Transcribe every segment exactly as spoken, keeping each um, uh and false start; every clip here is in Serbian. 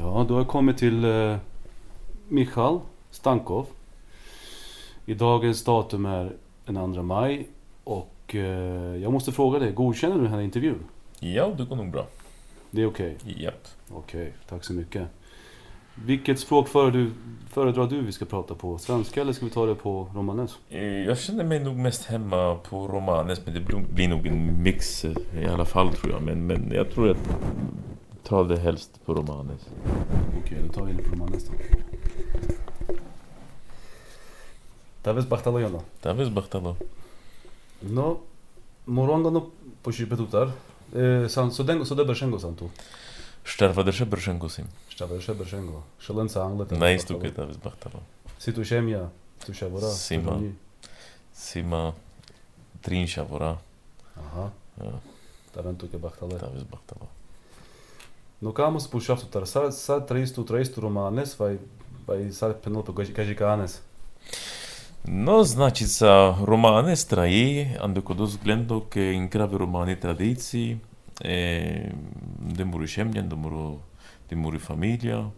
Ja, då har jag kommit till eh, Michal Stankov. I dagens datum är den andra maj och eh, jag måste fråga dig, godkänner du den här intervjun? Ja, det går nog bra. Det är okej? Okay. Japp. Okej, okay, tack så mycket. Vilket språk föredrar du, föredrar du vi ska prata på? Svenska eller ska vi ta det på romanes? Jag känner mig nog mest hemma på romanes, men det blir nog en mix i alla fall tror jag. Men, men jag tror att ta det helst på romanes. Okej, okay, då tar vi det på romanes då. Taves bachtalo jona. Taves bachtalo. No, moronda no pošipetutar. E, san sodengo sode bršengo santu. Štarvadrše bršengo sim. Štarvadrše bršengo. Šalenca angleta. Najstuke taves bachtalo. Si tu šemja, tu šavora. Sima. Sima trin šavora. Aha. Ja. Taventuke bachtale. Taves bachtalo. No kā mums būs šaftutar? Sa, sa treistu, treistu romanes vai, vai sa penulpo kažikanes? No, znači sa romane straji, ando kod vzglendo ke inkravi romani tradiciji, e, de muri šemljen, de muri, de muri familija,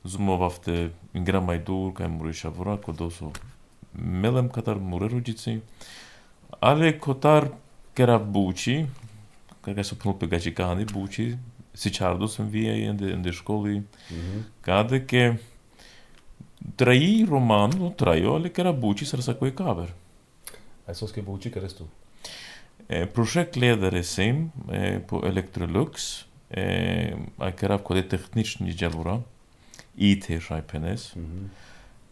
zumo vafte ingra majdur, kaj muri šavura, kod oso melem katar muri ruđici, ale kotar kera buči, kaj su penulpe kažikani buči, sičardo sam vije ende, ende školi, mm-hmm. Kade ke Traji roman, nu trajo, ale kera buči srsa koji kaver. A så ska buči keres tu? E, projektledare sim e, po Electrolux, e, a kera kode tehnični dželura, I T šajpenes. Mm-hmm.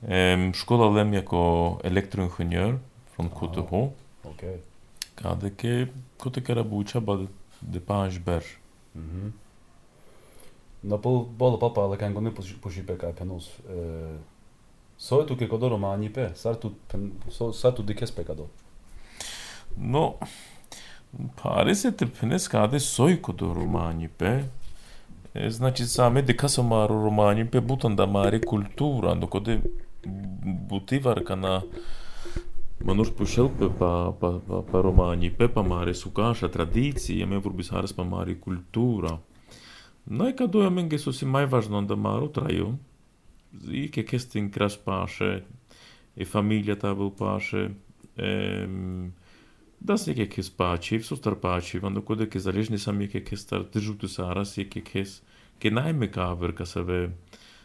E, škola lem jako elektroinženjör från K T H. Okay. Kade ke kote kera buča bad de panj ber. Mm-hmm. No pol bolo papa ale kango ne pošipe kaj penos. E, So tu ke kodo romani pe, sar tu pen, so sa tu dikes pekado. No, pare se te penes kade soj kodo romani pe. E, znači same dikasa maro romani pe butan da mare kultura, no kode butivar kana manuš pošelpe pa pa pa, pa romani pe pa mare sukaša tradicije, me vorbis haras pa mare kultura. No i kado ja menge so si mai važno da maro traju. I che questo in cras pace e famiglia tabel pace ehm da se che che spaci so star paci quando code che залежни сами che che star držutu sara se che che che najme kaver ka save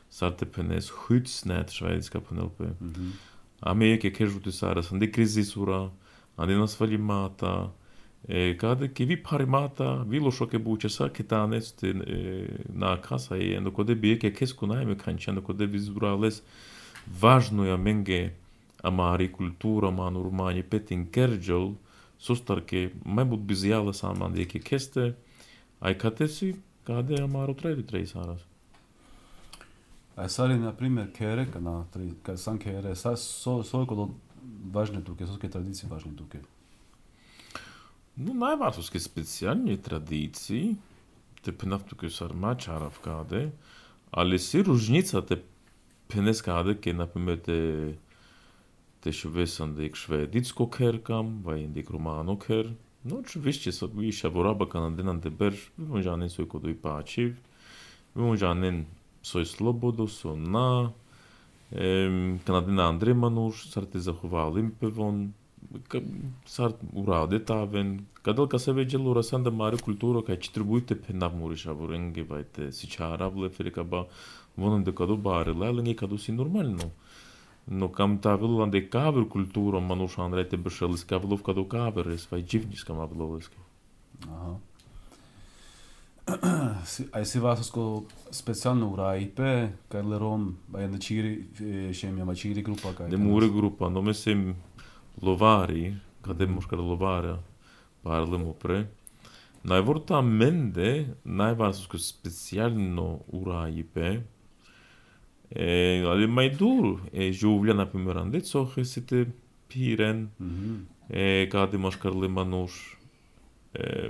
sarte penes hutsnet švedska penelpe a me che che žutu sara sande krizisura ande nas valimata e kade che vi parimata vi lo shoke buče sa ketanes te na casa e ando kode bie che che skunajme kančano kode vizurales važno je menge amari kultura man urmani petin kerjol sustarke mai bud bizjala saman de che keste ai katesi kade amaro trei trei saras. A sari na primer kere kana tri ka san kere sa so so kod važne tuke, so ke tradicije važne tuke. No, najvažnije specijalne tradicije, te penavtuke sarma čaravkade, ali si różnica te peneskade, ke naprimjer te te švesan dik švedicko kerkam, vai dik romano ker. No, oczywiście sobie šavoraba kanadenan te berž, vymožanen soj kodo i pačiv, vymožanen soj slobodo, so na, kanadena Andrej Manuš, sar te zahovalim pevon, sar urade taven, kadal ka se veđelo rasanda mare kulturo, kaj čitribujte penav muri šavorenge, vai te si čaravle, ferikaba, vonan de kado bare, lelenge kado si normalno. No kam tavilo lande kaver kulturo, Manuš Andrej te bršelis kavilov kado kaveres, vai dživniska maviloveske. Aha. Ai si vasosko specijalno uraipe, kaj lerom, vai na čiri, šemja, ma čiri grupa, kaj? De muri grupa, no mislim, lovari, kade moškar lovara, parlemo pre. Najvorta mende, najvasosko specijalno uraipe, e, ali mai dur, e žuvlja, naprimjer, ande cohe se te piren, Mm-hmm. e, kade moškar le Manuš, e,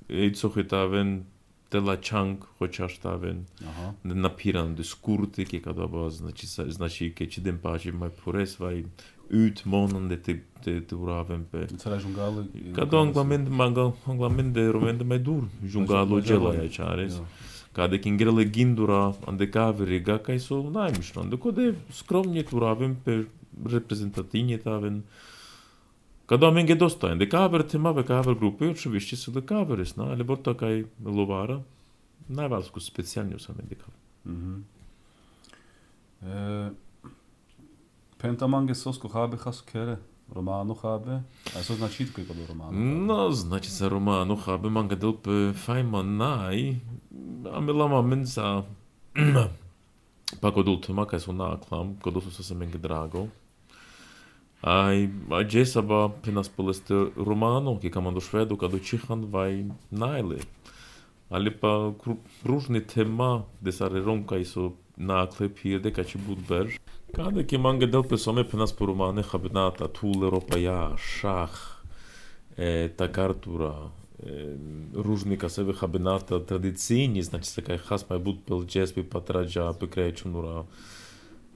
e cohe taven, te la čang, hoćaš taven, Aha. napiran de skurte, ke kada ba, znači, znači, ke či den paži mai pores, vai, utmanande te, te, te uraven pe. Înțelegi jungalo? Kada anglamende, anglamende romende mai dur, jungalo gela ja čares. Kada kingere gindura ande kaveriga kaj su najmišno, ande kode skromnije turavim pe reprezentativnije taven. Kada menge dosta, ande kaver temave kaver grupe, oczywiście su da kaverisna, ale borta kaj lovara, najvalsku specijalniju sam indikav. Mhm. Eh, Penta mange sosko habe has kere, romano habe, a co znači tko je kod romano? No, znači sa romano habe manga delpe fajma naj, a mi lama mensa pa kod ultima kaj su naklam, kod su se menge drago. Ai, a džesaba pinas poleste romano, ki kam do švedu, kad učihan vaj najle. Ali pa pružni tema, de sare ronka su nakle pirde, kad će bud berž. Kada ki manga delpe some pinas po romane habinata, tule ropa ja, šah, e, ta kartura, e, ružnika sebe habinata tradicijni, znači se kaj has mai bud pel džespi patrađa, pe krećunura.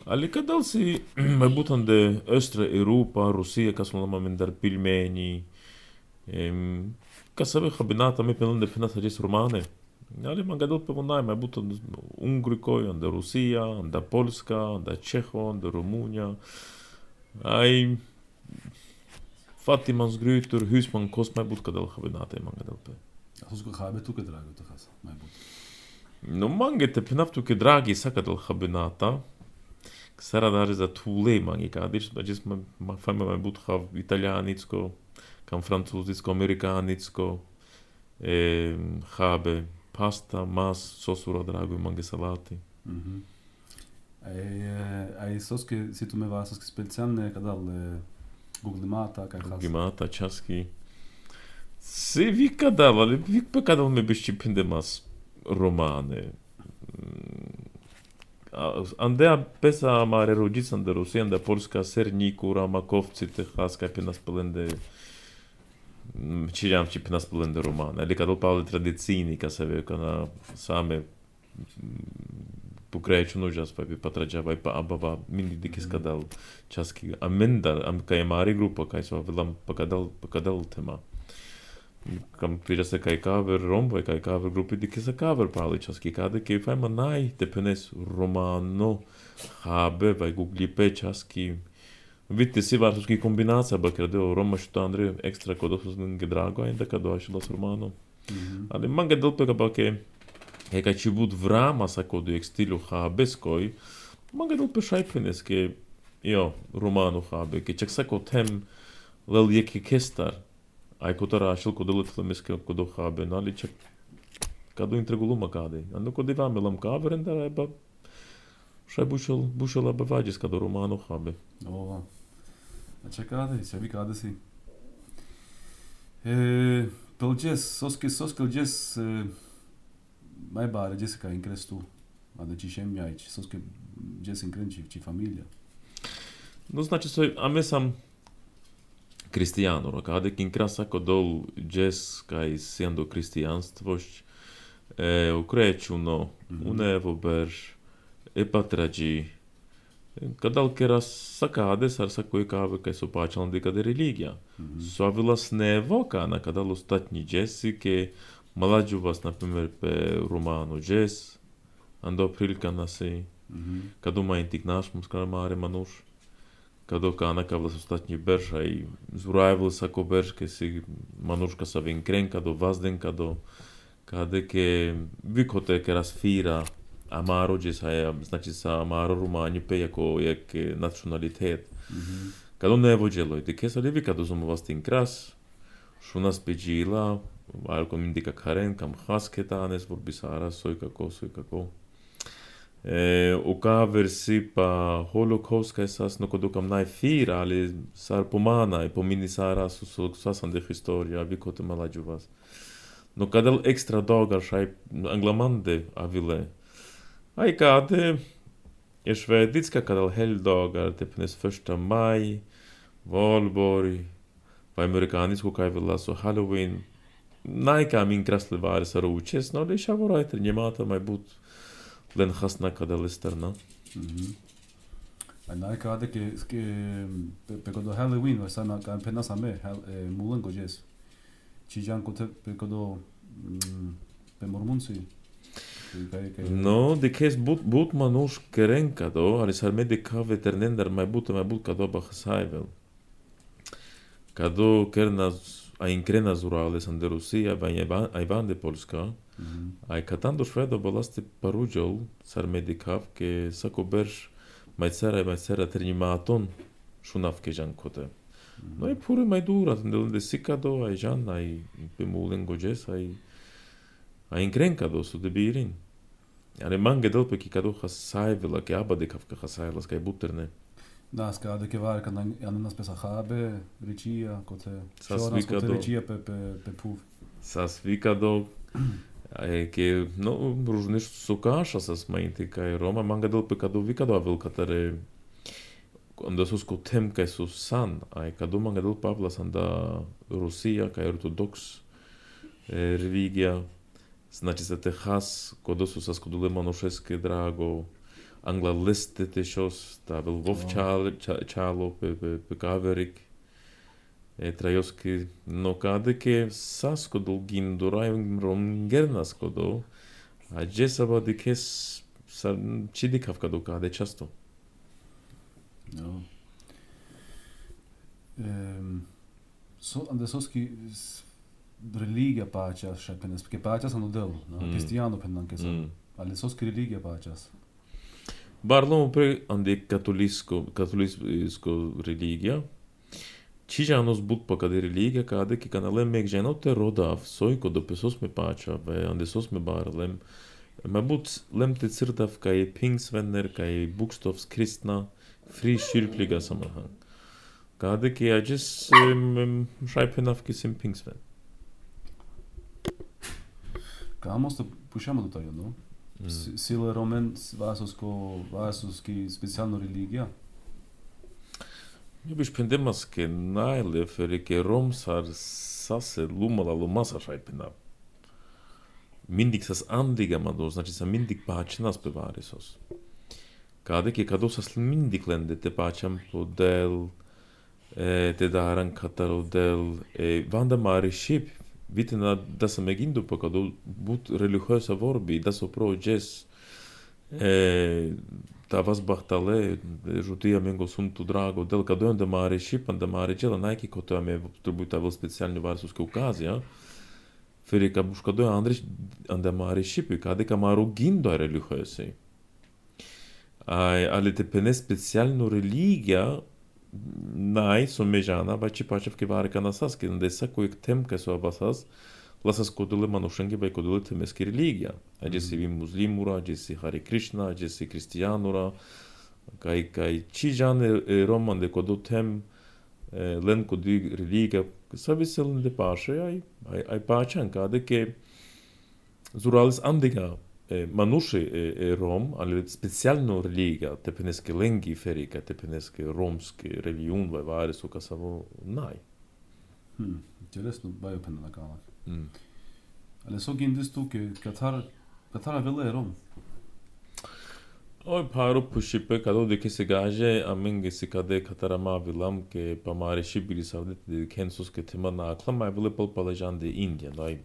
Ali kadal si mai butan de Östra Europa, Rusija, kas lama mindar pilmeni, em, kas sebe habinata me pelan de finas hađes romane. Ali man gadal pe vonaj mai butan Ungrikoj, onda Rusija, onda Polska, onda Čeho, onda Rumunja. Ai Fatimans grytur, husman kos mai but kadal habinata man gadal pe. A sosko habe tu ke drago to has, mai but. No mange te pinaftu ke dragi sakadal habinata. Sara даже za tule mangi kadiš, da jes ma ma fajma mai but hav italianicko, kam francuzicko, amerikanicko, e, habe pasta, mas, sosura drago mangi salati. Mhm. Ai ai soske si tu me va soske specijalne kadal Google Mata kaj has. Google Mata časki. Se vi kadal, ali vi pe kadal me bišći pindemas romane. Andea pesa mare rođican da Rusija, da Polska, Sernikura, Makovci, Tehas, kaj pe nas pelende, čiljam či pe nas pelende romane. Ali kadal pavle tradicijni, ka se ve, kana same pokreću nužas, pa bi patrađavaj, pa abava, mini dikis kadal časki. A mendar, am kaj mari grupa, kaj su avelam, pa kadal, pa kadal tema. Kam prira se kaj kaver rombo, kaj kaver grupi dike se kaver pali časki, kada kaj fajma naj tepenes romano, habe, vaj guglipe časki. Vidite si varsuski kombinacija, ba kredeo Roma što Andrej ekstra kod osuzninge drago, a da kad došla s romano. Ali manga delpega ba ke, e kaj će bud vrama sa kodu ek stilu habe skoj, manga delpe šajpenes ke, jo, romano habe, ke čak sako tem lel jeki kestar, ai kod rašil kod letle miske kod habe, ali čak kado intreguluma kade. Ando kod ivam elam kaveren da ba šaj bušel bušela ba vađes kado romano habe. Ova. A čekade, se vi kade si. E, pel jazz, soske soske jazz mai bare jazz ka increstu. A de cishem aici, soske jazz increnci ci familia. No znači soj, a me sam kristijanuro, kada kin krasa kodol jazz kaj siendo kristijanstvošć, e, ukreću no, mm-hmm. unevo berž, e patrađi, kadal kera sakade sar sakoj kave kaj su pačalandi kada religija. Mm-hmm. Suavila snevo kana kadal ostatnji jazzi ke malađu vas, na primjer, pe romano jazz, ando prilika nasi, mm-hmm. kadu ma intik naš muskramare manuš, kado kana kavlas ostatnji berž, aj zurajvil sako berž, ke si manuška sa vinkren, kado vazden, kado kade ke vikote ke rasfira amaro jazz, aj znači sa amaro romanji pe jako jak nacionalitet. Mm-hmm. Kado ne vođelo i ke sa levi kado zomu vas tin kras, šuna speđila, alko indika karen, kam hasketanes, vorbisara, soj kako, soj kako. E, u kaver si pa holokaust kaj sas no kod kam naj fira, ali sar pomana i pomini sara su su sasan de historia, vi kote malađu vas. No kadal ekstra dogar šaj anglamande avile. Aj kade je švedicka kadal helgdagar, tepnes första maj, valborg, pa amerikanisku kaj vila su Halloween. Najka min krasli vari sa ručes, no ali šavorajter njemata maj but len hasna kada listerna. Mhm. A najka ade ke ke pe kodo Halloween va sana ka pena same mulan gojes. Chijan kote pe kodo pe mormunsi. No, de kes but but manush kerenkado, ali sarme de ka veternender mai but mai but kado ba khsaivel. Kado kernas a inkrena zurales ande Rusia, va ai van de Polska. Ai katando shvedo bolasti parujol sarme de kav ke sakobersh mai tsara mai tsara trinimaton shunav ke jan kote. No i pure mai dura, de sikado ai jan ai bemulen gojes ai ai inkrenkado su de birin. Ale mange dolpe ki kado khasaivel ke abade kav ke khasailas kai buterne. Da, skade ke var kan an nas pesa khabe, ricia kote. Shonas kote ricia pe pe pe puv. Sasvikado ke no różne sukaša sa smainti kai Roma mange dolpe kado vikado avel katare onda sus kotem kai sus san ai kado mange dolpe pavlas anda Rusija kai ortodoks religija. Znači za te has kodo su sa skodule monošeske drago angla liste te šos ta vel vov čalo čalo pe pe pe kaverik e trajoski no kade ke sa skodul gindura rom gernas kodo a jesaba de kes sa chidikav kado kade často. No. Ehm so ande soski religia pačas šapenes, ke pačas anu del, no, mm. Cristiano pendan ke sam. Mm. Ali soski religia pačas. Barlomo pre ande katolisko, katolisko religija. Čižanos but pa kade religija, kade ki kanale mek ženo te rodav, sojko do pesos me pača, ve ande sos me barlem. Ma but lem te cirtav kai pingsvenner, kai bukstovs kristna, fri kyrkliga sammanhang. Kade ki ajes šajpenav ki sim pingsven. Ka måste pusha do tego, no? Mm. Sile romen vasosko vasoski specijalno religija. Ja biš pendemas ke najle feri ke romsar sase lumala lumasa šajpena. Mindig sas andiga mado, znači sa mindig pačnas bevarisos. Kade ke kado sas mindig lende te pačam podel e, te daran katarodel e, vanda mari ship Vitena da sam megindu pa kado but religiosa vorbi, da so pro jes e, ta vas bahtale, žutija mengo suntu drago, del kado onda mare šipan, da mare džela najki ko to je trebuta vel specijalni varsuske ukazija, feri ka buš kado je Andrić, onda mare šipi, kade ka maru gindo religiosi. Ai, ali te pene specijalnu religija, Naj, so mežana, ba či pačev ke varika nasaski, da je sako ik temke so abasas, lasas kodule manušengi ba kodule temeski religija. A gdje si vi muslimura, gdje si Hare Krishna, gdje si kristijanura, kaj, kaj čižane roman de kodo tem len kodi religija, sa veselen de paše, aj, aj, aj pačan, kade ke zuralis andiga manuši e Rom, ali specijalno religija, te peneske lengi ferika, te peneske romski religion, vai vari su kasavo naj. Hmm, interesno, bajo pena na kamak. Mm. Ali so gindis tu, ke Katar, Katara vele e Rom? Oj, paro pušipe, kado de ke se gaže, a menge se kade Katara ma vilam, ke pa mare šibili savdete de kensus ke tema na akla, ma vele pal palajan de India, daj.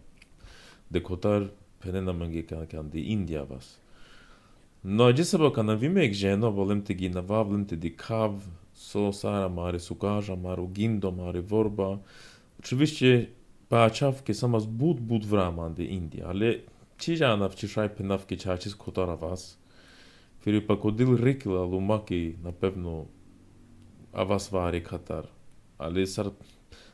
De Kotar penena mange kan de India vas. No, jesaba kana vimek ženo, volem te gina vavlem te di kav, so sara mare sukaža, maru gindo, mare vorba. Oczywiście pačavke samas bud bud vraman de India, ale čižanav čišaj penavke čačis kotara vas. Feri pa kodil rikila lumaki napevno a vas vari Katar. Ale sar,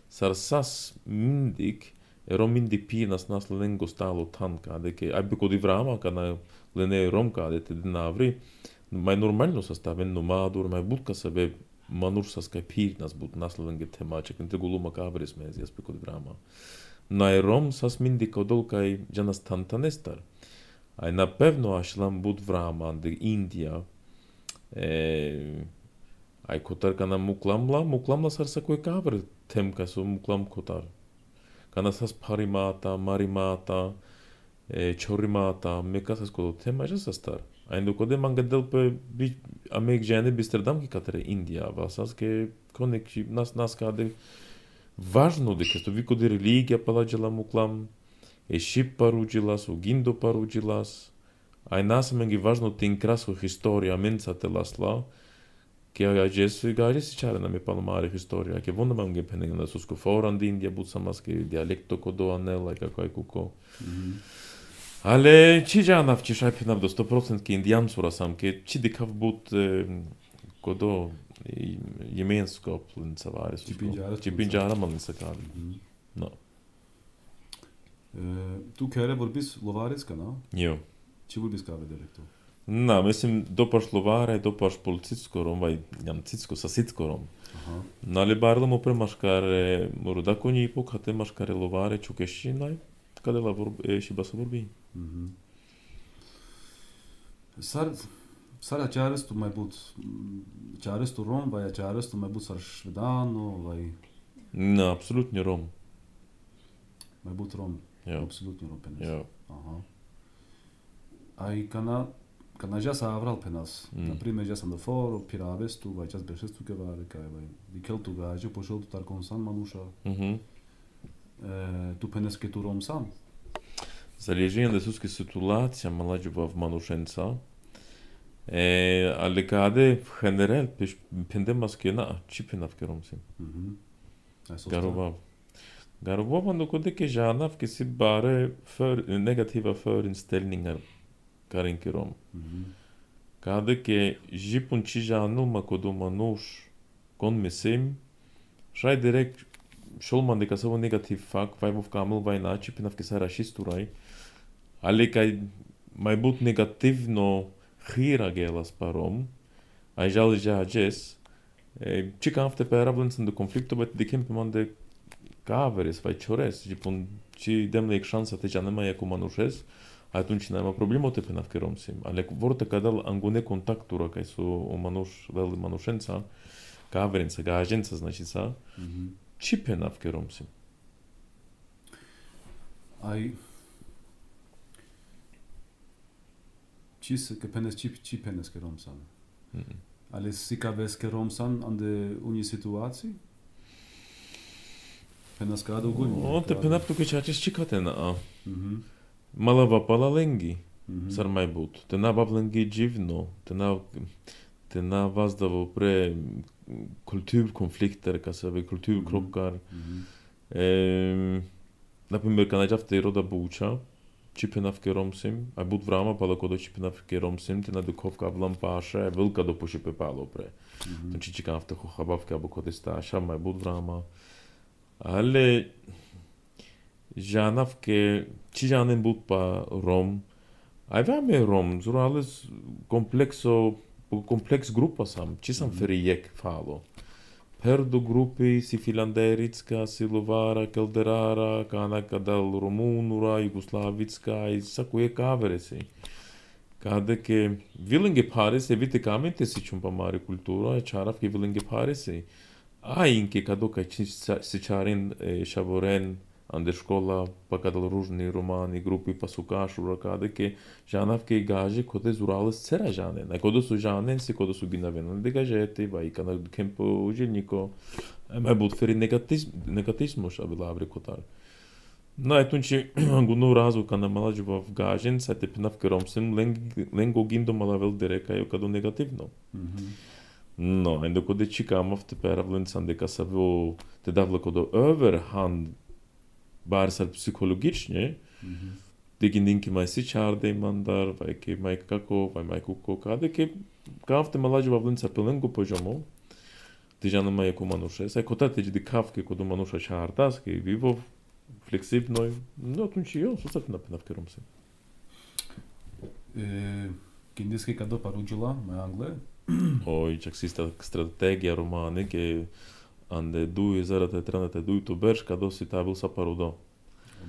sar sas mindik, ero mindik pinas nas lengo stalo tanka, deke ajbe kodi vrama, kana lene romka, dete dinavri, mai normalno sastaven nomadur, mai budka sebe manur sas kaj pinas bud nas lenge temaček, inte guluma kabris mezi, jaspe kodi vrama. Na rom sas mindik odol kaj janas tantanestar. Aj na pewno ašlam bud vrama de India, e, aj kotar kana muklamla, muklamla sar sa koj kabr temka so muklam kotar. Kana sas parimata, marimata, e, chorimata, meka sas kodo tema ja sastar. Aj ndo kode manga delpe bi amek žene bisterdam ki katare India, vasas ke konek nas nas kade važno de kesto vi kode religija palađala muklam, e šip paruđilas, u gindo paruđilas, Ai nasamengi važno tin krasko historia menca te lasla, che agesi gajesi čare nam je palomari historia, che vonda mangi penning na susko foran din dia butsamaski dialekto kodo anela kako aj kuko. Ale чи жанав чи шайпинав до сто процентов индиан сурасам, che чи дикав бут kodo gemenskapen savare så Ci pingiara man sa kan. No. Tu kere vorbis lovareska, no? Jo. Ci vorbis kave dialekto? Na, mislim dopaš lovare, dopaš polcitskorom, vaj jam citsko sa sitskorom. Aha. Нали барлам опре машкаре мордакони ипок хате машкаре ловаре чукешинай, каде ла е шибаса vorbi. Mhm. Sar sar acearës tu mai būt acearës tu rom vai acearës tu mai būt sar švedano vai Na, absolutnie rom. mai būt rom. Jo. Absolutnie rom penas. Jo. Aha. Ai kana kana já sa avral penas. Mm. Na prime já sam foro piraves tu vai jas beshes tu kevare kai vai. Dikel tu gajo pošel tu tar konsan manusha. Mhm. E, tu penas ke tu rom sam. Залежи на суски ситуация младжува в манушенца. Е, але каде в генерал пиш пендемаскена чипинав керомсим. Mhm. Ai så. Garova. Garova man коде ке жанав ке си bare för negativa förinställningar karin kerom. Mhm. Каде ке жипун чи жану макодо мануш кон месим шай direkt шолман дека само негатив фак вај во камел вај на чипинав ке са рашистурай. Але кај мај бут негативно хира гелас паром, ај жали жаджес, чикам в те перабленцен до конфликто бет де кемпе ман де каверес, вај чорес, жипун чи демле ек шанса те жанема јако манушес, ај тун чи нема проблемо те пенав керомсим. Але ворте кадал ангоне контактура кај со о мануш, вели манушенца, каверенца, гаженца, значи са, Mhm. чи пенав керомсим. Ai Cis ke penes ci ci penes ke romsan. Mhm. Ale sika ves ke romsan an de uni situacji? Penes grado ogólnie. О, те пенав туке чачес чикате на а. Mhm. Мала вапала ленги. Mhm. Сар май бут. Те на бавленги дживно. Те на те на ваздavo pre kulturkonflikter, kasave kulturkrockar. Mhm. Ehm, Например, канаджавте рода Буча, чипенав керомсим, а бут врама пала кодо чипенав керомсим, те на дуковка влам паша, вилка до пошипе пало пре. Mhm. Значи чикав те хохабавка або коде сташа, май бут врама. Але жанав ке чи жанен бут па ром. Ај ваме ром, зуралес комплексо комплекс група сам, чи сам фериек фало. Perdo grupi si filandericka, si lovara, kelderara, kanaka dal romunura, jugoslavicka i sakuje kaveresi. Kade ke vilinge parese vitekamente si čumpa mare kultura, čarav ke vilinge parese. A inke kado ka si čarin šavoren ande škola, pa kadal ružni romani, grupi pa su kašura, kade ke žanav ke gaže kode zurales cera žanen. A kodo su žanen si kodo su ginavena de gajete, va i kana kempo užilniko. Ema bud feri negatismo šabi lavri kotar. No etun či gunu razu kana malađuva v gažen, sa te pinav keromsim, lengo gindo malavel dereka jo kado negativno. Mhm. No, endo kode čikamav te peravlencan deka sa vo te davla kodo överhand bar sad psychologicznie, Mhm. digindinki mai si čarde mandar, vai ke mai kako, vai mai kuko, kade ke kafte malađuva vlenca pelengo poziomo, ti žana mai jako manuše, sai kotate di kafke kodo manusza čardas, ke vivo fleksibnoj, no tunči jo, susat na penavkerom se. E, Kindiski kado parudžila, me angle. Oj, čak si strategija romane, ke ande duj zarate tranate duj to berš, kado si tabil sa parudo.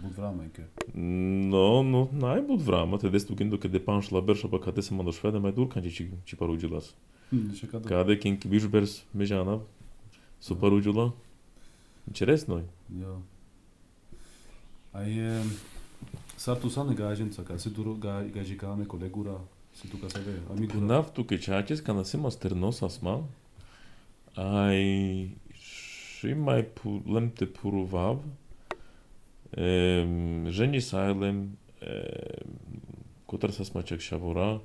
Bud vramenke. No, no, najbud vrama, te destu gindo ke depanš la berša, pa kade se mando švede, mai dur kanči či, či parudžilas. Še kado. Kade kinki biš bers mežana, su parudžila. Interesnoj. Jo. Ai e, sar tu sane gaženca, ka si tu gažikame kolegura, si tu ka sebe, amigura. Naftu ke čačes, kana si masternos asma, ai și mai pu, lemte puruvav, ehm, ženi sajlem, ehm, Котар са смачак шавора,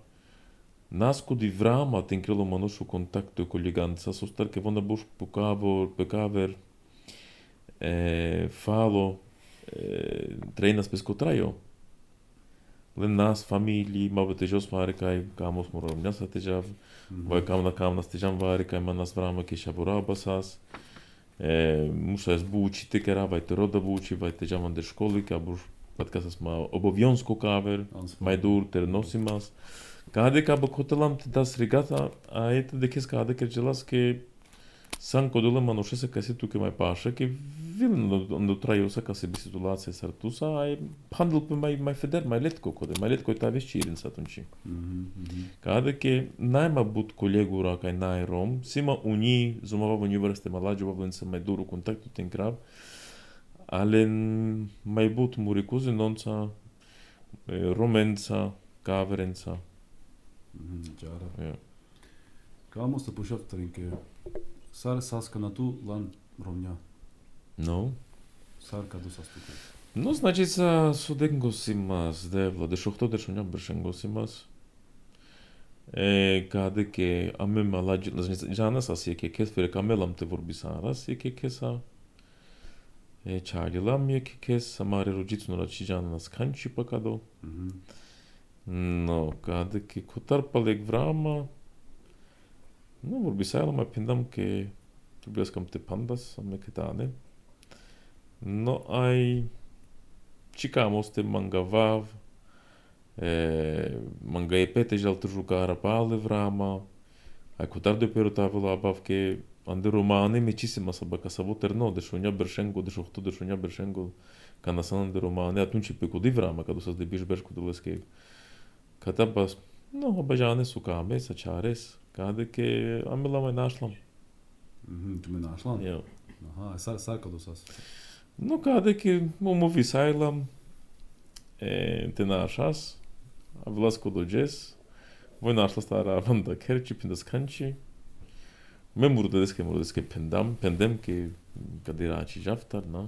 наско ди врама тен крило манушу контакто ко лиганца, состар ке вона буш покавор, пекавер, фало, трейнас пес котрајо. Лен нас, фамилии, мабе тежос вари кај камос морам няса тежав, вај камна камна стежам вари кај манас врама ке шавора басас. Муша ес бучи текера, вај те рода бучи, вај тежам ан де школи, ка буш паткасас ма обовјонско кавер, мајдур, тер носимас. Каде ка бакотелам те дас ригата, а ете декес каде ке джелас ке сан кодуле мануше се каси туке мај паша, ке вилен до трајуса ка се би ситуација сартуса, а хандл пе мај мај федер, мај летко коде, мај летко та веш чирин сатунчи. Каде ке најма бут колегура кај нај ром, сима уни зумава во университет маладжува влен се мај дуру контакту тен крав, але мај бут мури кузинонца, роменца, каверенца. Ģāra. Kā mums te puši aptarinke? Sāri saskana tu lan romņā? No. Sāri kādu sastukai? No, значит, са суден госимас, девла, дешохто дешоња бршен госимас. Е, каде ке аме маладжи, значит, жанас аз еке кес фере камелам те ворбисарас, еке кеса. Е, чарилам еке кес, самаре роджицу нарачи жанас канчи пакадо. No, каде ке котар палек врама. No, ворбисарам ма пиндам ке тубляскам те пандас, аме ке тане. No, ай Чикамос те мангавав, манга е пете жал тržукара пале врама, а котар де перотавила абавке анде романе мечисима сабака сабо терно, дешоња бершенго, дешохто дешоња бершенго, канасан де романе, атунчи пекоди врама, кадо сас де биш бершко делеске. Ката бас, но обажане сукаме, сачарес, каде ке амела ме нашлам. Tu me našlan? Ja. Aha, sar, sar kado sas? No, каде ке му висајлам, те нашас, а власко доđes, вој нашла стара ванда керчи, пиндас канчи, ме мурдеске, мурдеске пендам, пендем ке каде рачи жафтар, на.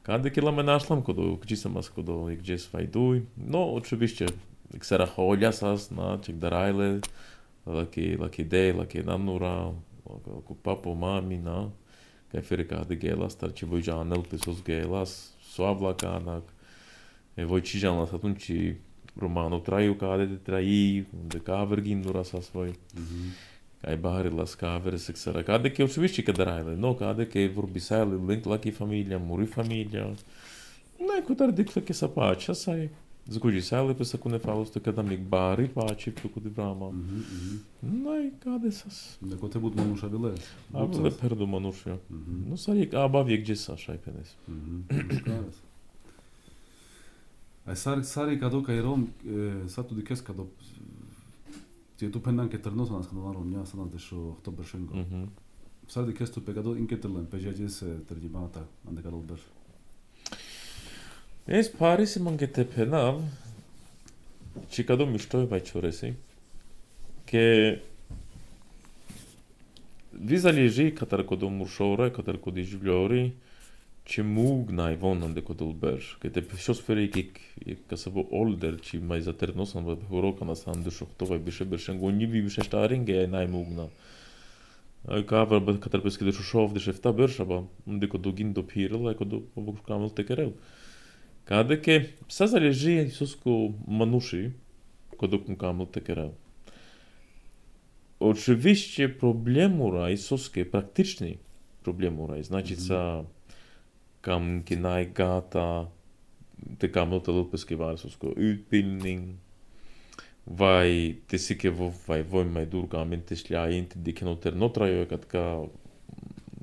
Каде ке ламе нашлам, кодо кчисамас, кодо и gđes фајдуј, но очевишće, ксера хољасас, на, чек дарајле, лаки, лаки дей, лаки нанура, лаки папо, мами, на, кај фери каде гелас, тарчи вој жанел, песос гелас, суавлаканак, Voi cijana atunci romanul traiu care de trai de cavergin dura sa svoj. Ai bahari las cavere sexara cade che oczywiście că daraile, no cade che vorbisale link la che famiglia, muri famiglia. N-ai cu tar dic che sa pace, sai. Zguji sale pe să cune fausto că da mic bari pace cu de brama. N-ai cade sas. De cote bud manusha vile. A vile perdu manusha. No sari aba viek gdzie sa shai penes. Ai sari sari kado kai rom sa tu dikes kado ti tu pendan ke ternos nas kado rom ня sana de sho oktober shengo. Sari dikes tu pegado inketelan pejaje se terjimata ande kado ber. Es Paris manche te penav. Chicado mishtoi vaichoresi. Che vizalieji katar kodo murshore, katar kodi jvlori. Че мугнај вонан дека долбер, ке те шосфери кик касаво олдер, чи мај за терносан во хорока на сан дешох тоа беше бершен го ниви беше штаринге нај мугна. Ај кавер бе катар песке дешо шов деше фта бершаба, дека догин до пирел, ај кодо обок камел текерел. Каде ке са залежи соско мануши, кодо кун камел текерел. Очевидно проблемура и соске практични проблемура, значи са kam kinai gata te kamot loppeske varsosko utbildning vai te sike vo vai voi mai durga mente slja inte dikenoter notrajo katka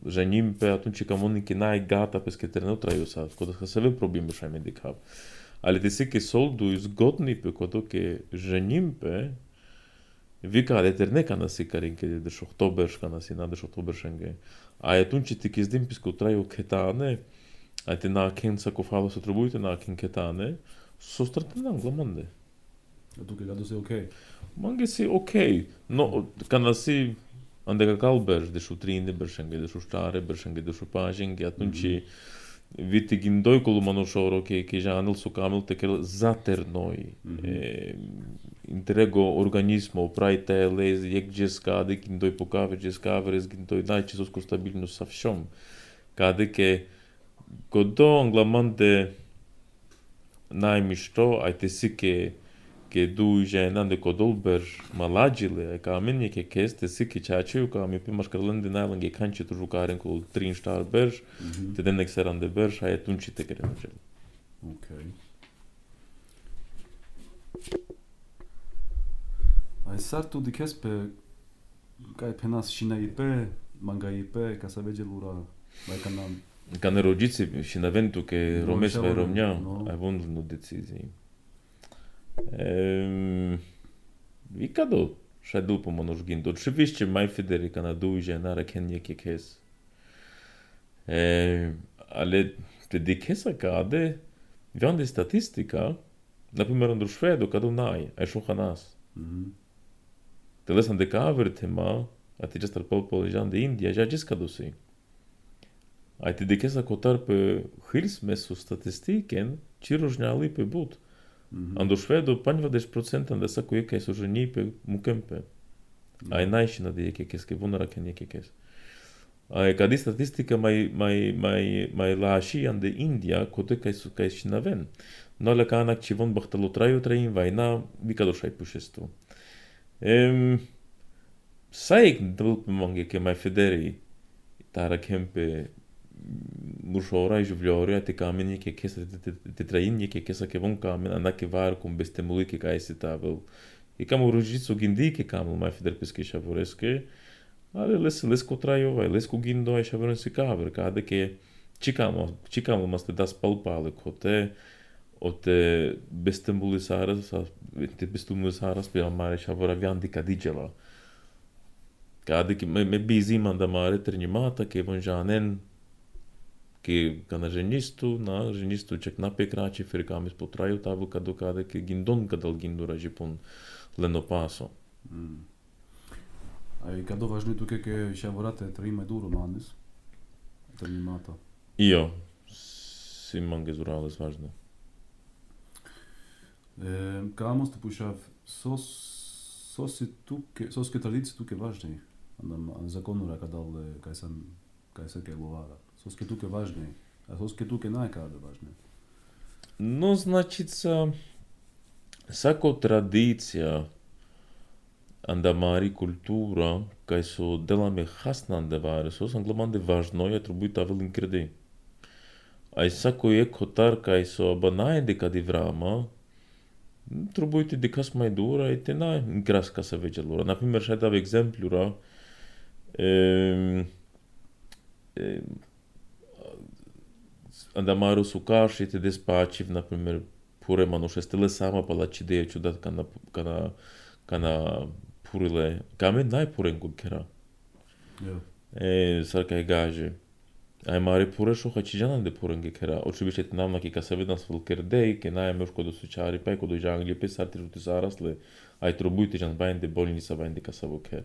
ženim pe atunci kamon kinai gata peske ter notrajo sa koda se sve problemi shaj medikav ali te sike soldu izgodni pe kodo ke ženim pe vika deter neka na sikarin ke de oktober shkana si na de oktober shenge a atunci te kizdim pesko trajo ketane a te na ken sa kofalo se trobujte na ken ketane, so strate na anglamonde. A tu ke gado se okej? Mange si okej, no kana si ande ka kalber de shu trinde bershenge de shu stare bershenge de shu pajenge atunci Viti gindoi columanușoro che che ja anul sucamul te che zater noi interego organismo praite les jak geskade gindoi pokave geskavres gindoi dai ce sos stabilno savšom kade che godo anglamante najmišto ai te sike che du žena de kodolber maladžile ka meni che keste sike chačiu ka mi pimaš karlende najlange kanči tu žukaren kol trin star berž te den exeran de berž ai tunči te kerenžel. Okay. Ai sartu di kespe kai penas shinaipe mangaipe ca să vege lura mai canam. Ca ne rogiți și în eventul că romesc vai România, ai vândut nu decizii. Ehm, Викадо, шайдул по моножгин. Oczywiście mai Federica na duże na rekenie kekes. Ehm, ale te dikesa kade, viande statistica, na primer rând Șvedul că n-ai, ai șuhanas. Mhm. Te lăsăm de cover tema, atât al populației de India, ja giskadosi. Ai te dikesa kotar pe hilsmesu statistiken, ci różniali pe but. Ando Șvedul paņvadeš procentam da saku iekais už ņīpe mukempe. Ai naišina de iekais, ke vunara ken iekais. Ai kadi statistika mai mai mai mai lașian de India, kote kai su kai šinaven. No le kanak ci von bahtalo traju train vaina, vikado šai pušestu. Ehm Saik dvulp mange ke mai federi tara kempe Mușora i juvlioria te cameni che che te traini che che sa che von camen anda che var cum bestemului che kai se tavel. E cam urujitsu gindi che cam mai feder pesche shavoreske. Ale les les cotraio vai les cu gindo ai shavorense caver cade che cicamo cicamo mas te das palpale cote o te bestemului sara sa te bestemului sara pe mare shavora viandi cadigela. Cade che me busy manda mare trinimata che von janen que kana ženistu, na ženistu čak napie krači firkamis po traju tavu kadu kade ke gindon kadal gindura jipun leno paso. Mm. Ai kado važno tu ke ke shavorate trima du romanes. Terminata. Io si mange zurales važno. Ehm kamos tu pušav sos sos tu ke sos ke tradici tu ke važni. Andam zakonura kadal kaj sam kaj se ke lovara. Sos ke tuke važne, a sos ke tuke najkade važne. No, značica, sako tradicija andamari kultura, kaj so delame hasna andevare, sos anglamande važno, ja trebuie tavel incredi. Ai sako je kotar kaj so banajde kadi vrama, trebuie ti dikas mai dura i te na graska se vege lura. Naprimer, šaj dav exemplura, ehm, ehm, Andamaru sukaši te despačiv, naprimjer, pure manuše stele sama palači deje čudat kana, kana, kana purile, kame najpuren kod kera. Ja. E, sarka je gaže. Ai mare pure šo hačiđanan de puren ge kera. Oczywiście te namna ki ka se vidan svel kerdej, ke naje meško do sučari, pa ko do žangli, pe sarti žuti zarasle, ai trobujte žan bain de bolnica bain de kasavo ke.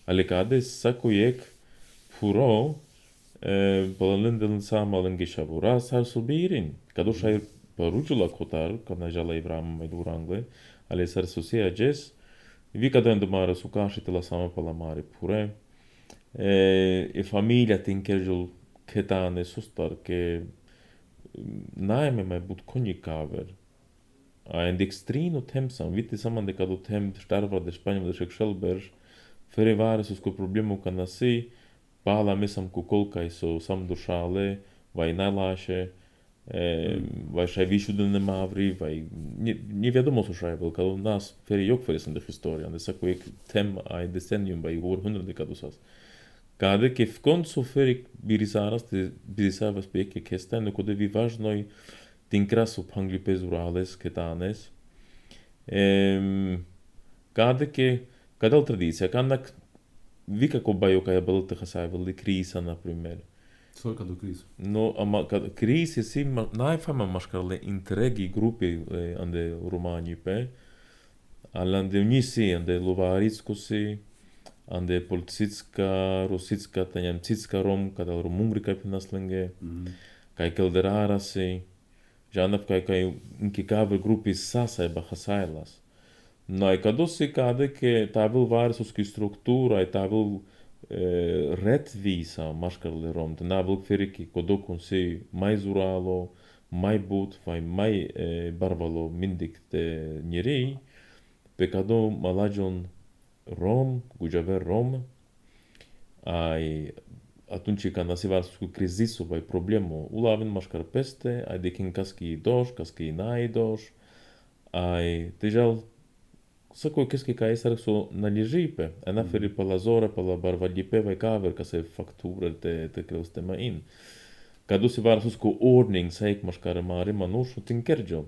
Ale kade sako jek puro, Balălândă sama lângă șavura, s-ar subirin. Cadu și-ai păruciul la cotar, că n-a la Ivram mai durangle, ale s-ar susia ages, vi că dă mare suca și te la sama pe la mare pure. E familia te încherjul ketane sustar, că n-ai mai but conicaver. A în dextrino temsam, vite saman de cadu tem starva de Spania de Șecșelberg, fere vare sus cu problemul că nasi, Pala mesam cu kolkai so sam dušale, vai najlaše, e, vai šai višu da nemavri, vai nije vjedomo su šai vel, kada nas feri jok feri sam de historija, ne sako jek tem ai decennium, vai århundrade kada sas. Kada ke v koncu feri birisaras, te birisaras pe jeke kesta, no kode vi važnoj tin krasu pangli pezurales, ketanes. E, kada ke, kada al tradicija, kada Vika ko bajo kaj balte hasajvali krisa, naprimjer. Solka do kriz. No, ama kad kriz je si najfama maškarle interregi grupi ande Romanji pe, ali ande nisi, ande Lovaritsko si, ande Polcitska, Rositska, ta Njemcitska Rom, kada Romungri kaj pe naslenge. kai kelderarasi, Janaf kai kai inki kaver gruppi sasa e bahasailas. No e kadosi kade ke tavel varsoski struktura e tavel eh, rättvisa marskarle rom, te navel feriki kodokon se mai zuralo, mai but, vai mai eh, barvalo mindik te njeri, pe kado malajon rom, gujaver rom, ai atunci când se va cu crizisul vai problemo ulavin mașcar peste ai de kin kaski doš kaski nai doš ai tejal să cu keski kai sar so nalijipe ana feri pe la zora pe la barvalipe vai kaver ka se fakturer te te krostema in kadu se var sus cu ordning saik mașcar mare manush tinkerjo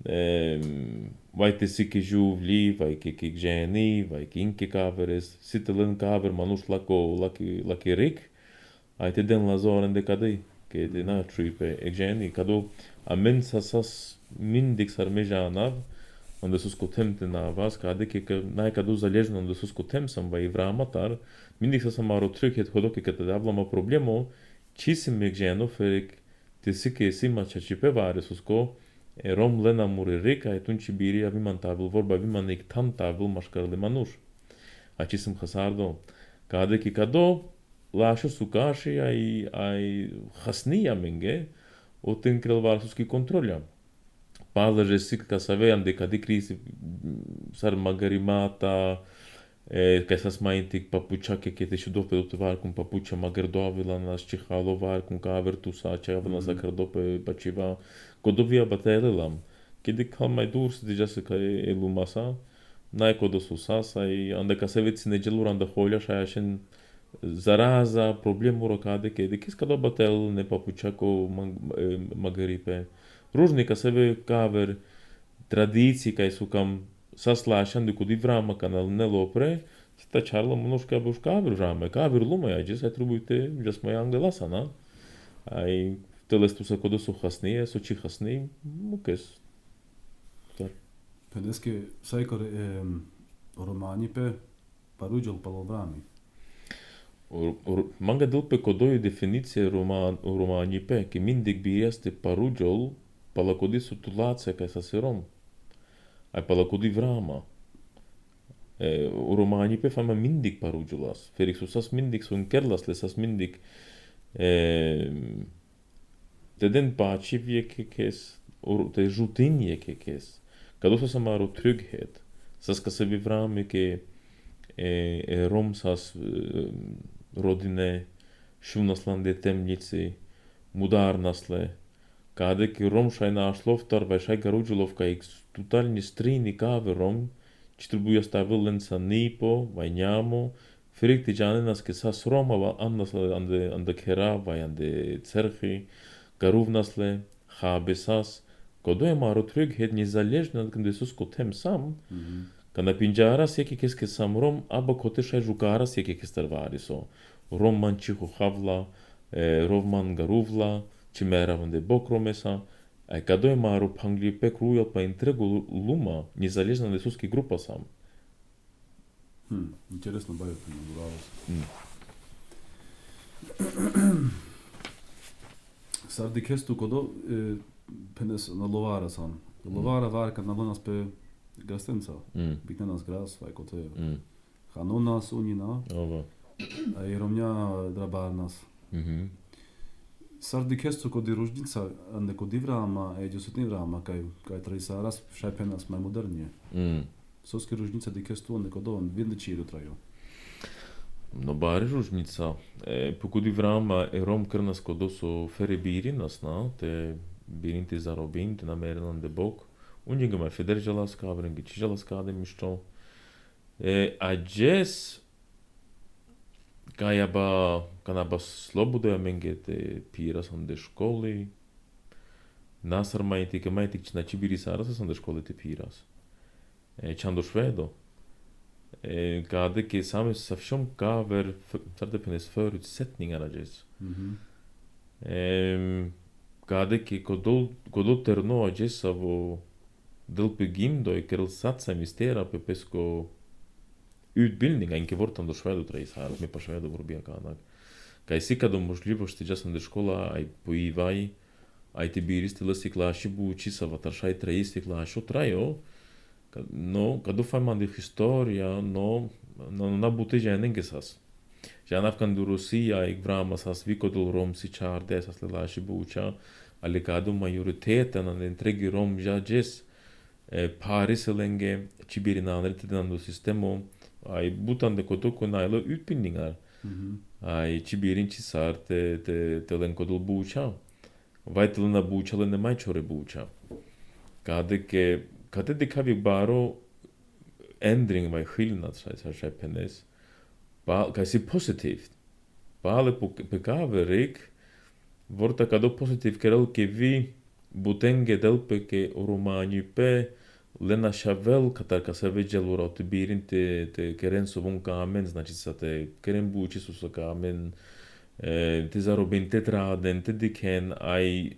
ehm vai te siki juvli vai ke ke geni vai kinki kaveres sitelen kaver manush lako laki laki rik ai te den la zoren de cadei che de na tripe egeni cado a mensa sas mindik sarmeja nav onde sus cotemte na vas cade che na cado zalejno onde sus cotem sam vai vramatar mindik sa samaro trycket hodoke che te davla ma problemo cisim egeno ferik te sike sima chachipe vare susko e rom lena muririk ai tunci biri avimantabil vorba avimanik tantabil mașcarle manush a cisim khasardo cade che cado Lașo sucași ai ai hasnia menge o tenkrel varsuski kontrolja. Palaže sik ka saveam de kadi krisi sar magarimata e ka sas maintik papučake ke te šudo pe do var kun papuča magardovila nas čihalo var kun kavertu sa čavna za kardope pačiva kodovia batelelam. Kedi kal mai durs de jase ka elumasa nai kodosu sasa i anda ka seveci negeluranda holja šajašen Zaraza, problemu rokade, ke de kis kado batel ne papučako magaripe. Ružnika sebe kaver tradiciji kaj su kam saslašan, de kodi vrama kanal ne lopre, sta čarla monoš kabe už kaver vrame, kaver luma ja, džes aj trubujte, džes moja angelasa, na? Aj telestu sa kodo su hasnije, su či hasni, mukes. Pedeske sajkor romani pe paruđal palo vrami. Manga dilpe kodoi definiție roman romanipe, că mindig bi este paruđol, palakodi sutulacija kaj sasi rom. Ai palakodi vrama. E, romanipe fama mindig paruđolas. Ferik su sas mindig sun kerlas le sas mindig e, te den pačiv je kekes, te žutin je kekes. Kado sa samaro trygghet. Sas ka se vi vrame ke e, e rom sas e, rodine, šunaslan de temnici, mudarnasle, kade ki rom šaj našlovtar, vai šaj garuđulovka ik totalni strini kave rom, či trebuja stavil sa nipo, vai njamo, ferik ti džanenas ke sas roma, va annasle ande, ande kera, vai ande cerhi, garuvnasle, habe sas, kodo je maro trygghet nizaležno, kada su skotem sam, Kada pinjaras je kekes ke sam rom, aba kote šaj žukaras je kekes tarvariso. Rom man čiho havla, e, rov man garuvla, či meravan de bokromesa. A kado je maro pangli pek rujal pa intregu luma, nizaležno de suski grupa sam. Hmm, interesno bajo to nagovaralo se. Sardi kestu kodo e, penes na lovara sam. Lovara varka na lonas pe Gastenca, mm. Biknenas gras, vai kote mm. Hanonas unina, Ova. Ai romnja drabarnas. Mm-hmm. Sardi kestu kodi ružnica, ande kodi vrama, e džusutni vrama, kaj, kaj traisaras šaj penas mai modernije. Mm. Soski ružnica di kestu ande kodo, vinde čiru traju. No bari ružnica, e, po kodi vrama e rom krnas kodo so fere birinas, na, te birinti zarobin, te namerenan de bok. Unjega mai federjalas kaverengi čižalas kade mišto. E, a džes kajaba, kanaba slobodoja menge te piras onde školi. Nasar majti, ke majti či nači biri saras onde školi te piras. E, čando švedo. E, kade ke same savšom kaver, sarde penes förutsättningarna džes. Mm-hmm. E, kade ke kodol, kodol terno a džes avo Dълпе gimdo i kerel satsa mistera pe pesko utbildning, enke vortan do švedo treis här med på švedo vorbia kanak. Кај си кадо можливост ти джасан де школа, ај поивај, ај ти биристи лъси клаши бучи, са ватаршај траисти клашо трајо, но кадо файман де историја, но на бути женен гесас. Жанавкан до Русија и врама сас викодол ром си чарде, сас лелаши буча, али кадо мајоритета на entregi ром жаджес, Pariselenге, чибиринанрите до системо, ај бутан деко току најло utbildningar. Ај чибирин чисар те те те ленкодол буча. Вајтел на бучале не мајчоре буча. Каде ке каде дека ви баро ändring vai skillnad så så schepenes. Ba kaj si positivt. Bale pekaverik vorta kado positiv kerel ke vi butenge delpe ke romani pe lena shavel katar ka se veđel urot birin te te keren su vun kamen, znači sa te keren buči su sa kamen te zarobin te traden te diken ai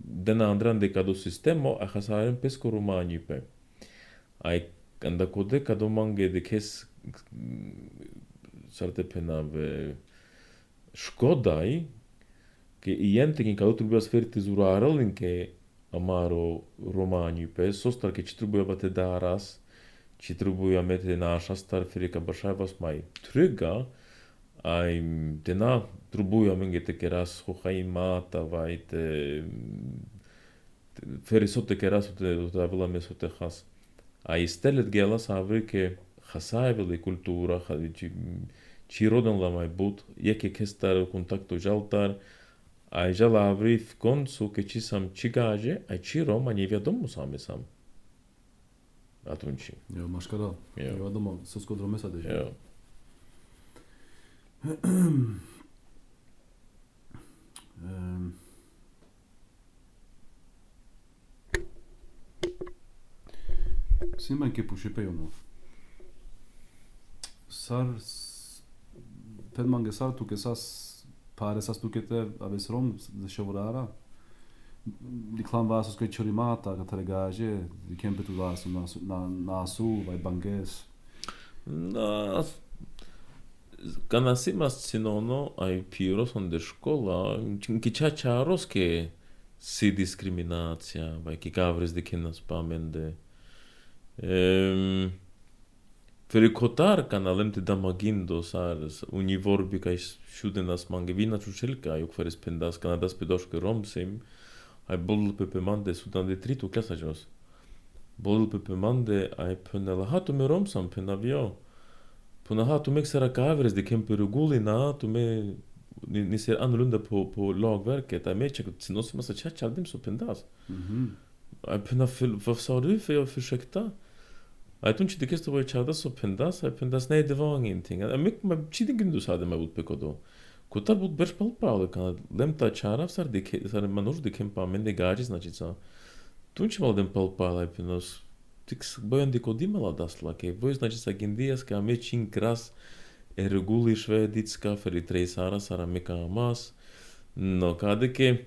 den andran de kado sistemo a hasaren pesco romani pe. Ai Anda kode kado mange de kes sarte penave škodaj ke ijentekin kado treba sferiti zuraralin ke amaro romani pe sostar ke čitrubuja bate daras čitrubuja mete naša star firika bašaj vas maj trygga ai tena trubuja menge te keras hohaj mata vajte ferisote keras te davila mesote has. А истелет гелас аврике хасаевели култура хадичи чироден ламай бут еке кестар контакто жалтар а жала аври в концу ке чисам чигаже а чиро ма не ведомо саме сам атунчи Jo maškara jo domo sosko dromesa de jo ehm Сима ке пушипејоно. Сар педманге сар туке сас паре сас тукете авес ром за шеврара. Диклам васос ке чоримата катарегаже, дикемпе ту васу на насу вај бангес. На Канасимас синоно ај пирос он де школа, ки чачарос ке си дискриминација, вај ки гаврес дикенас паменде. Ehm Ferikotar kanalem te damagindo sars univorbi kaj šudenas mange vina čučelka juk feres pendas kanadas pedoške romsim ai bol pepemande sudan de tritu klasajos bol pepemande ai penela hatu me romsam penavio puna hatu mexera kavres de kemperuguli na tu me ni ser annorlunda på på lagverket ai mechek sinos massa chachaldim så pendas mhm ai penafil vad sa du för jag försökte Ai tunci de kesto voi chada so pendas, ai pendas nei de vang inting. Ai mik ma chidingen du sade ma ut pekodo. Kutar bud berš palpale kana lemta chara sar de sar manuš de kempa mende gaji znači sa. Tunci mal dem palpale ai penos tix bojan de kodimala dasla ke voi znači sa gindias ka me chin kras e reguli šveditska feri trei sara sara meka mas. No kade ke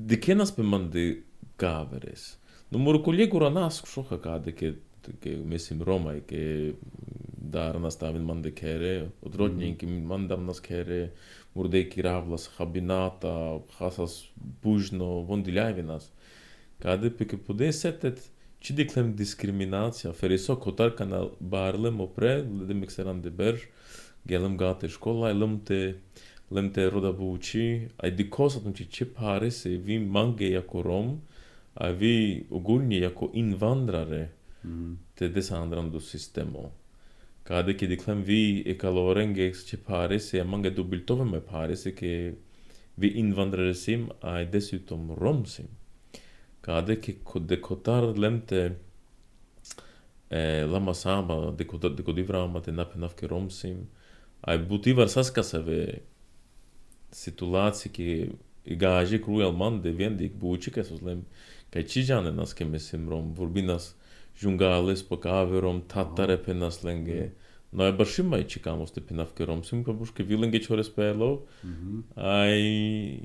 de kenas pe mande gaveres. No mor kolegura nas shoha kade ke ke mislim Roma ke dar nastavin mande kere odrodnjen ki mandam nas kere murdeki ravlas habinata hasas bužno vondiljavi nas kade peke po desetet čidiklem diskriminacija feriso kotar kanal barlem opre ledem ekseran de berž gelem gate škola lemte lemte roda buči ai dikosat unči čepare se vi mange jako Rom a vi ogulnje jako invandrare Mm. te desandran do sistemo. Kade ke diklem vi e kalorenge che pare se mange dubiltove me pare se ke vi invandraresim ai dessutom romsim. Kade ke de kotar lemte e lama samba de kotar de kodivrama te napenav ke romsim ai butivar saskaseve situacije ke gaje cruel man de vendik bučike soslem kaj čijane nas ke mislim rom vorbinas Jungales po kaverom tatare penas lenge. No e bashima i chikamos te penavke rom sim pa bushke vilenge chores pelo. Ai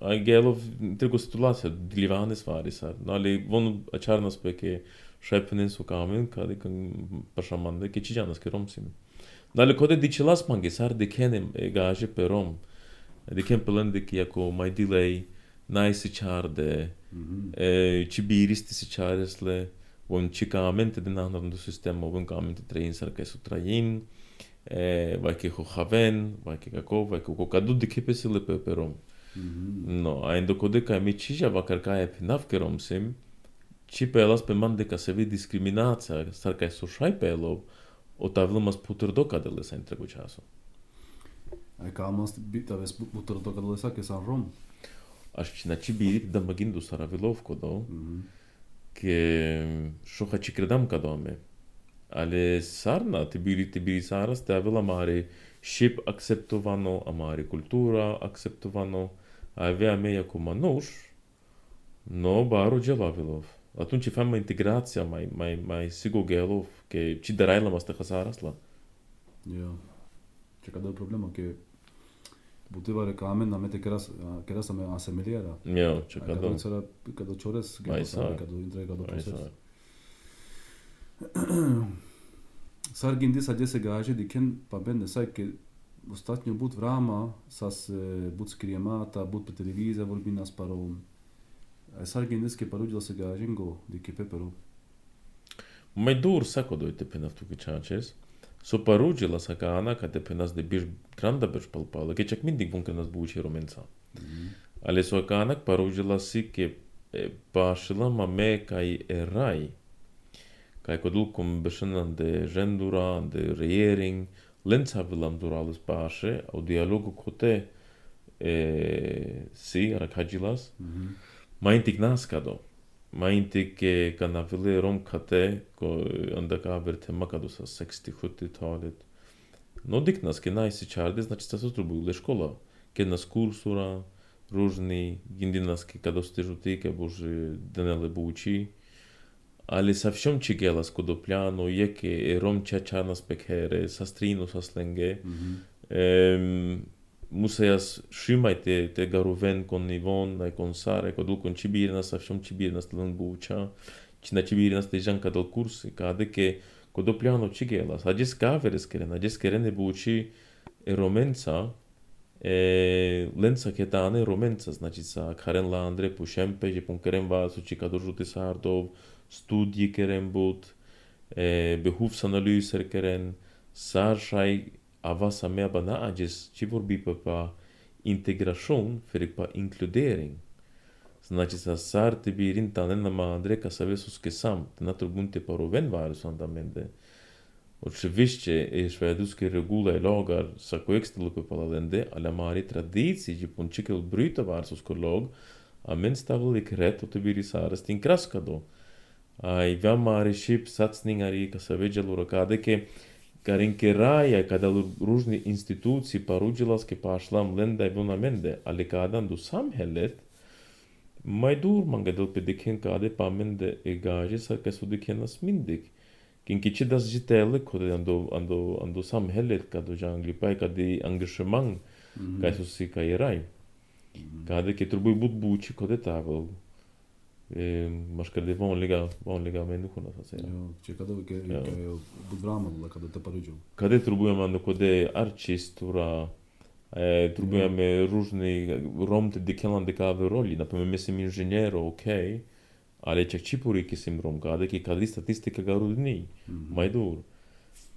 ai gelov trego situacija dlivane stvari sad. No ali von acharnas pe ke šepenen su kamen kadi kan pashamande ke chijanas ke rom sim. No ali kode dichilas mange sar de kenem e gaje pe rom. Adică pelândic jako mai delay, n-ai se charde, ci biristi se charesle, un cicamente din anul do sistema, un camente train sarca su train, vai que ho haven, vai que kako, vai que kokadu de que pesele peperom. No, ainda code ca mi ci va carca e pinavkerom sim, ci pelas pe mande ca se vi discriminația, sarca su shai pelo, o tavlmas puterdoka de le sa întregul ceasul. Ai ca mast bita ves puterdoka de le sa que san rom. Aș na ci birit da magindu Saravilovko do, que shoha ci credam ca doame. Ale sarna te biri te biri saras te avela mare ship acceptovano amare cultura acceptovano avea meia cu manuș no baro gelavilov. Atunci fam integrația mai mai mai sigo gelov que ci darai la masta khasaras la. Ja. Ce cadă problema que Butivare ca amen namete keras keras ame asemeliera. Ja, ce cadă. Cadă țara cadă chores, cadă intre cadă proces. Sargindi sadje se gaže diken pa ben ne sai ke ostatnjo but vrama sas but skriemata but pe televizija vorbi nas paro Sargindi ke parudila se gažengo dike pepero Mai dur sako dojte penaf tu kičačes so parudila sa kana ka te penas de biš granda biš palpala ke čak mindig bunke nas buči romenca ale so kana parudila si ke pašila mame kai erai Kaj kod ulkom bešenan de žendura, de regering, lenca vilam durales paše, au dialogu kote e, si, arakadžilas, ma intik naskado. Ma intik ka na vile rom kate, ko onda ka verte makado sa šezdeset sedemdeset-talet. No dik nas, ke najsi čarde, znači sta se trubule škola. Ke nas kursura, ružni, gindi nas ke kado stežu ti, ke bože denele buči, ale совсем чигела скодопляно яке ром чачана спекере састрину сасленге эм мусаяс шимайте те гарувен кон нивон на консаре кодул кон чибирна совсем чибирна стелен буча чина чибирна стежанка дол курси каде ке кодопляно чигела садис каверес керена дис керене бучи е роменца е ленца кетане роменца значи са карен ла андре пушемпе je pun kerem va su cikadurjute sardov studie keren bot, e, behovsanalyser keren, sarshai avasa mea bana ages, ci vorbi pe pa integration, ferik pa inkludering. Znači sa sar te bi rinta nena ma Andrei ca să vezi că sam, te na turbunte paroven varus andamende. Oczywiście, jeśli veduskie regula logar sa coextelu pe palalende, ale mari tradiții, ji pun cikel bruita varsus colog, amen stavili kret, o te biri saras tin kraskado. Ai veama rešip satsningari, ca să vege lor cade că care încheraia cada różni instytucji parudzilas că pașlam lenda evonamente, ale cadandu samhället, mai dur mangadel pe deken cade pamende egaje sa că su dekenas mindig. Kinki ci das jitele kode ando ando ando samhället cado jangli pai cade engagement ca su si ca erai. Cade că trebuie but buci code tavel. Mas cadê vanliga vanliga människorna så att säga. Ja, ce cadă că că budvrama la cadă te parudziu. Cadê trebuie man code arcistura e trebuie me różni rom te dekelan de cave roli, na pewno mislim inżeniero, okej. Ale čak čipuri ki sim rom cade că cade statistica garudni. Mai dur.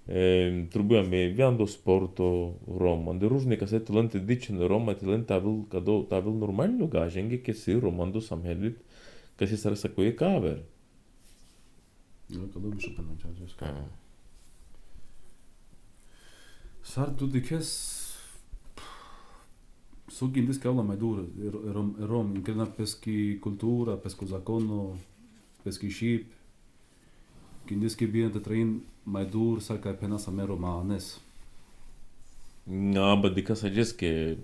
E trebuie me viando sporto rom, ande różni ca se talente dicen rom, talente avil cado avil normalno gajenge că si romando samhället că se sar să cu e caver. Ja, cadă mi șupă în ceea Sar tu de kes so gindis că mai dur rom rom increna peschi cultura, pesco zakono, peschi ship. Gindis că bine te train mai dur sa ca pena sa mero romanes. Na, ba dica sa jes că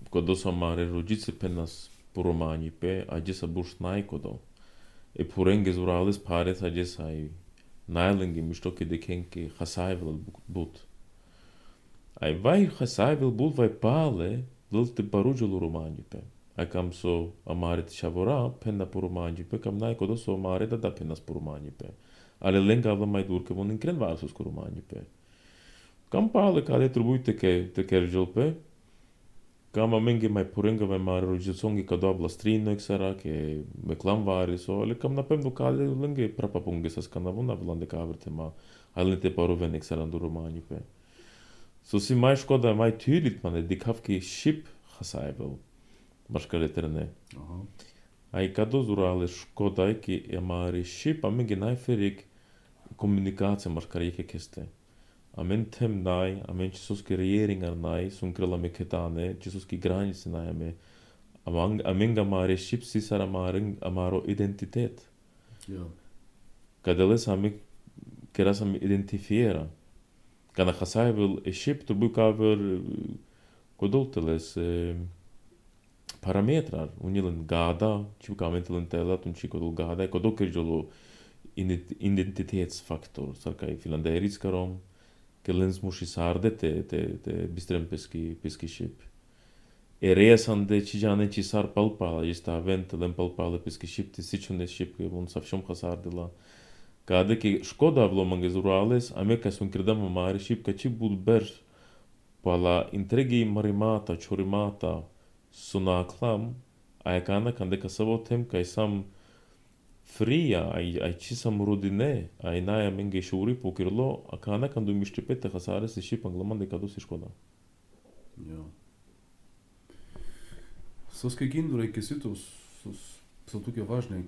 codo sa mare rugice penas po romani pe ajes abush naikodo. E purenge zurales pares ajes ai nailingi mistoke de kenke hasaivel but. Ai vai hasaivel but vai pale Lălte parugelu romani pe. Ai cam so amare te shavora penna po romani pe cam nai codo so amare da da penas po romani pe. Ale lenga avla mai dur că von incren varsus cu romani pe. Cam pale care trebuie te că te kergel pe. Cam amengi mai purenga mai mare rogițongi ca doabla strino exera che me clamvari so le cam napemno cale lunghe prapa punge sa scandavona vlade caverte ma alente paroven exera do romani pe. So si mai škoda mai tydligt man de kafki ship hasaivel baškaleterne. Aha. Ai kado zurale škoda ki e mari ship amengi najferik komunikacija baškarike keste. Amen tem nai, amen čisoski regeringar nai, sun krila me ketane, čisoski granice nai ame, amang, amenga mare ship sisar amaren amaro identitet. Ja. Kadeles ame keras ame identifiera. Kana hasaivel e ship turbu kaver kodolteles e, parametrar, unilen gada, čiu kamentelen telat, un či kodol gada, kodol kerjolo identitetsfaktor, sarkai finlanderitskarom, que lens mushi sarde te te te bistrem peski peski ship. E resan de cijane ci sar palpala, esta vent lem palpala peski ship te sichune ship que un savshom hasarde la. Kada ke škoda vlo manges urales, ameka sun kredam mare ship ka ci bud ber pala intrigi marimata, chorimata, sunaklam, aekana kande kasavo tem kai sam fria, ai, ai ci sam rodine, ai naia menge shuri pokirlo, akana kandu mištipete hasare se ship anglaman de kadu si škoda. Ja. Со скегинду реки сито со туке важни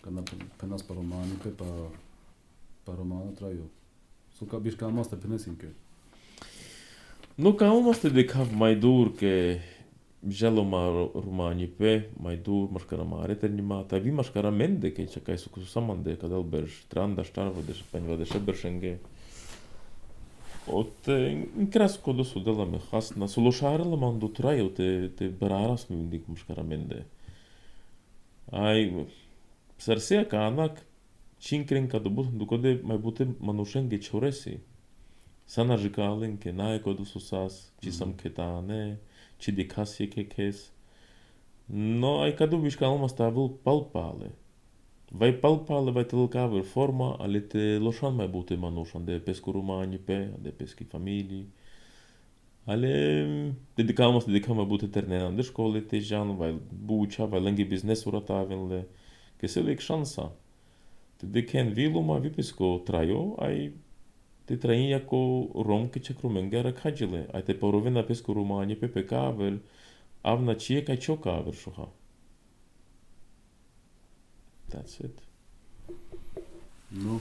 кана пенас па романи пе па па романа траю. Со ка биш кама ста пенесинке. No calma ste de kav mai dur ke Želo ma romani pe, mai dur maškara mare ternimata, vi maškara mende ke čakaj su kusu samande kadal berš tranda štarva de špenjva de šeberšenge. От инкраско до судела ме хасна, солошарела ман до трайо те те барарас ми индик мушкара менде. Ай сарсея канак чинкрен кадо бут докоде май буте манушенге чореси. Сана жикален ке наe кодо сусас, чи сам кетане, чи дикаси ке кес. Но ай кадо вишкалма ставил палпале. Vai palpale, vai te lăcaver forma, ale te loșan mai bute manușan de pescu romani pe, de peschi familii. Ale dedicam să dedicam mai bute ternenan de școle, te jan, vai bucea, vai lânghi business-ura ta avenle, că se lec șansa. Te deken viluma, vi pesco traio, ai te traia co rom că ce crumengera cagile, ai te porovena pescu romani pe pe cavel, avna cie ca cio caver șuha. That's it. No,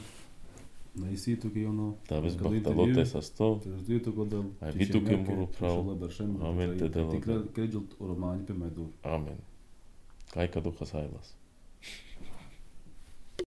наисито ке оно. Да, без бахталоте са сто. Тездито годел. А виту ке муру право. Амен те дела. Ти креджот романи пе майдур. Амен. Кај каду хасайлас.